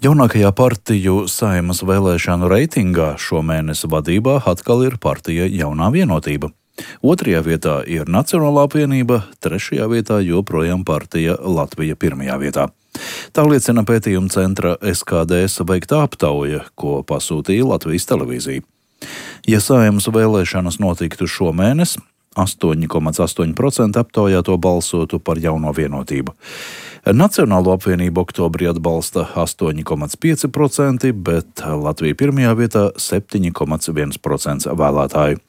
Jaunākajā partiju Saeimas vēlēšanu reitingā šomēnes vadībā atkal ir partija Jaunā vienotība. Otrajā vietā ir Nacionālā apvienība, trešajā vietā joprojām partija Latvija pirmajā vietā. Tā liecina pētījuma centra SKDS veiktā aptauja, ko pasūtīja Latvijas televīzija. Ja Saeimas vēlēšanas notiktu šomēnes, 8,8% aptaujāto balsotu par Jauno vienotību. Nacionālo apvienību oktobrī atbalsta 8,5%, bet Latvija pirmajā vietā 7,1% vēlētāju.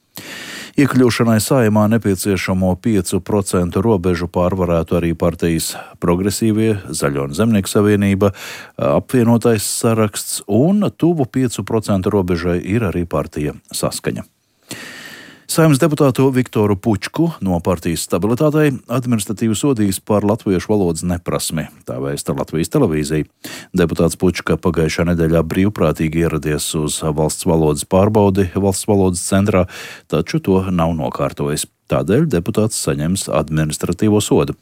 Iekļūšanai Saeimā nepieciešamo 5% robežu pārvarētu arī partijas Progresīvie, Zaļo un Zemnieku savienība, apvienotais saraksts un tuvu 5% robežai ir arī partija Saskaņa. Saeimas deputātu Viktoru Pučku no partijas Stabilitātei administratīvi sodījis par latviešu valodas neprasmi, tā vēsta Latvijas televīzija. Deputāts Pučka pagājušā nedēļā brīvprātīgi ieradies uz valsts valodas pārbaudi valsts valodas centrā, taču to nav nokārtojis. Tādēļ deputāts saņems administratīvo sodu.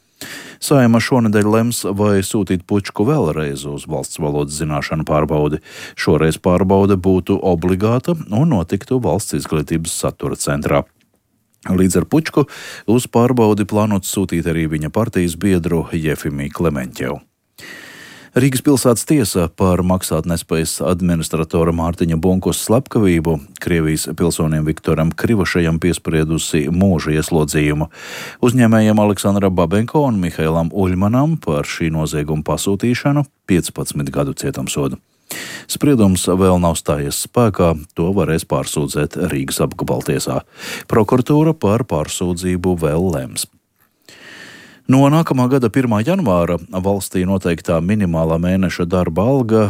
Saeima šonedēļ lems, vai sūtīt Pučku vēlreiz uz valsts valodas zināšanu pārbaudi. Šoreiz pārbaude būtu obligāta un notiktu valsts izglītības satura centrā. Līdz ar Pučku uz pārbaudi plānots sūtīt arī viņa partijas biedru Jefimiju Klemenķevu. Rīgas pilsētas tiesa par maksātnespējas administratora Mārtiņa Bunkus slepkavību Krievijas pilsonim Viktoram Krivošajam piespriedusi mūža ieslodzījumu. Uzņēmējiem Aleksandram Babenko un Mihailam Uļmanam par šī nozieguma pasūtīšanu 15 gadu cietumsodu. Spriedums vēl nav stājies spēkā, to varēs pārsūdzēt Rīgas apgabaltiesā. Prokuratūra par pārsūdzību vēl lems. No nākamā gada 1. janvāra valstī noteiktā minimālā mēneša darba alga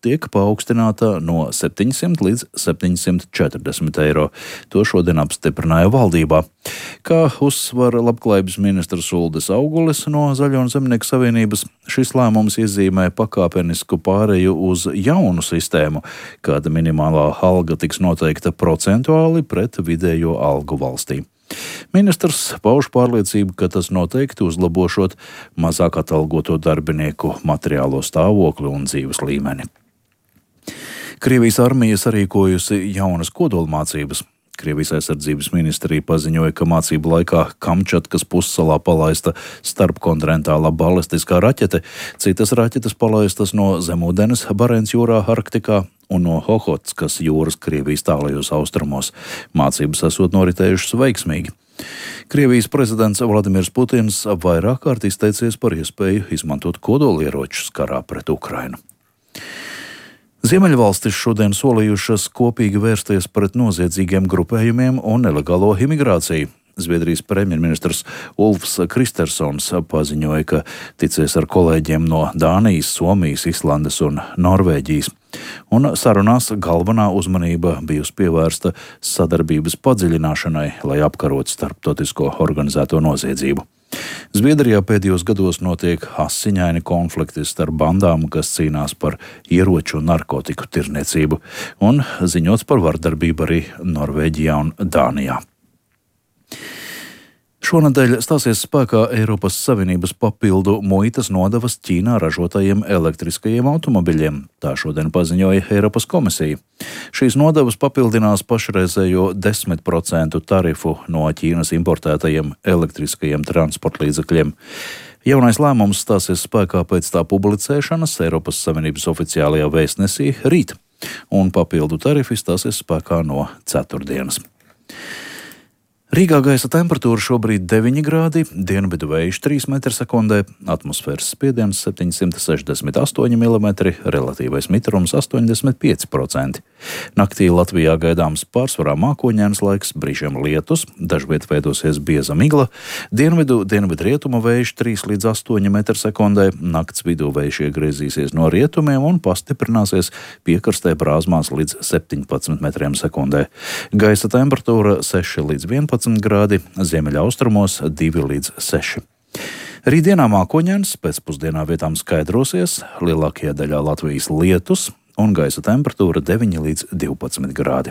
tiek paaugstināta no 700 līdz 740 eiro. To šodien apstiprināja valdībā. Kā uzsver labklājības ministrs Uldis Augulis no Zaļo un Zemnieku savienības, šis lēmums iezīmē pakāpenisku pāreju uz jaunu sistēmu, kāda minimālā alga tiks noteikta procentuāli pret vidējo algu valstī. Ministrs pauž pārliecību, ka tas noteikti uzlabošot mazāk atalgoto darbinieku materiālo stāvokli un dzīves līmeni. Krievijas armija sarīkojusi jaunas kodolmācības. Krievijas aizsardzības ministrija paziņoja, ka mācību laikā Kamčatkas pussalā palaista starpkontinentālā balistiskā raķete, citas raķetes palaistas no zemūdens Barents jūrā Arktikā un no Hohotskas jūras Krievijas tālajos austrumos. Mācības esot noritējušas veiksmīgi. Krievijas prezidents Vladimirs Putins vairāk kārt izteicies par iespēju izmantot kodolieročus karā pret Ukrainu. Ziemeļvalstis šodien solījušas kopīgi vērsties pret noziedzīgiem grupējumiem un nelegālo imigrāciju. Zviedrijas premjerministrs Ulfs Kristersons paziņoja, ka ticies ar kolēģiem no Dānijas, Somijas, Islandes un Norvēģijas. Un sarunās galvenā uzmanība bijusi pievērsta sadarbības padziļināšanai, lai apkarotu starptautisko organizēto noziedzību. Zviedrijā pēdējos gados notiek asiņaini konflikti starp bandām, kas cīnās par ieroču un narkotiku tirniecību, un ziņots par vardarbību arī Norvēģijā un Dānijā. Šonedēļ stāsies spēkā Eiropas Savienības papildu muitas nodevas Ķīnā ražotajiem elektriskajiem automobiļiem. Tā šodien paziņoja Eiropas komisija. Šīs nodevas papildinās pašreizējo 10% tarifu no Ķīnas importētajiem elektriskajiem transportlīdzekļiem. Jaunais lēmums stāsies spēkā pēc tā publicēšanas Eiropas Savienības oficiālajā vēstnesī rīt, un papildu tarifi stāsies spēkā no ceturtdienas. Rīgā gaisa temperatūra šobrīd 9 grādi, dienvidu vējš 3 m/sekundē, atmosfēras spiediens 768 mm, relatīvais mitrums 85%. Naktī Latvijā gaidāms pārsvarā mākoņains laiks, brīžiem lietus, dažviet veidosies bieza migla, dienvidrietumu vējš 3 līdz 8 m/sekundē, nakts vidū vējš iegriezīsies no rietumiem un pastiprināsies piekrastē brāzmās līdz 17 m/sekundē. Gaisa temperatūra 6 līdz 11 grādi, ziemeļaustrumos 2 līdz 6. Rītdienā mākoņains, pēcpusdienā vietām skaidrosies, lielākajā daļā Latvijas lietus un gaisa temperatūra 9 līdz 12 grādi.